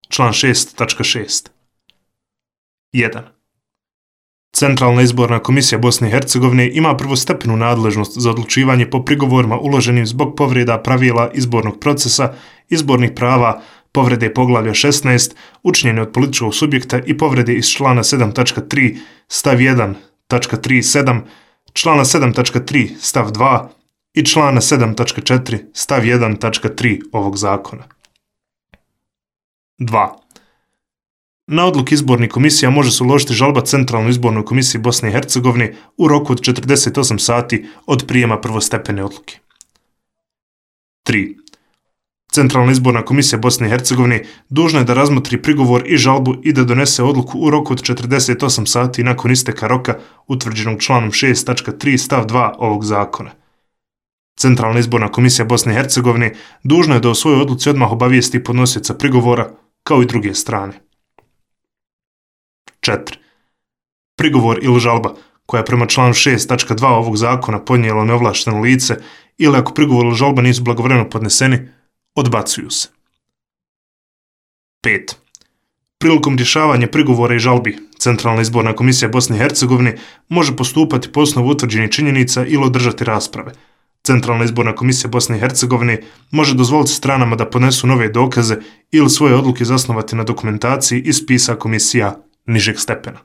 Član 6.6. 1. Centralna izborna komisija Bosne i Hercegovine ima prvostepenu nadležnost za odlučivanje po prigovorima uloženim zbog povreda pravila izbornog procesa, izbornih prava, povrede poglavlja 16, učinjene od političkog subjekta i povrede iz člana 7.3 stav 1.37, člana 7.3 stav 2 i člana 7.4 stav 1.3 ovog zakona. 2. Na odluku izbornih komisija može se uložiti žalba Centralnoj izbornoj komisiji Bosne i Hercegovine u roku od 48 sati od prijema prvostepene odluke. 3. Centralna izborna komisija Bosne i Hercegovine dužna je da razmotri prigovor i žalbu i da donese odluku u roku od 48 sati nakon isteka roka utvrđenog članom 6.3 stav 2 ovog zakona. Centralna izborna komisija Bosne i Hercegovine dužna je da o svojoj odluci odmah obavijesti podnosioca prigovora kao i druge strane. 4. Prigovor ili žalba koja je prema članu 6.2 ovog zakona podnijelo neovlašteno lice ili ako prigovor ili žalba nisu blagovremeno podneseni, odbacuju se. 5. Prilikom rješavanja prigovora i žalbi, Centralna izborna komisija Bosne i Hercegovine može postupati po osnovu utvrđenih činjenica ili održati rasprave. Centralna izborna komisija Bosne i Hercegovine može dozvoliti stranama da podnesu nove dokaze ili svoje odluke zasnovati na dokumentaciji iz spisa komisija nižeg stepena.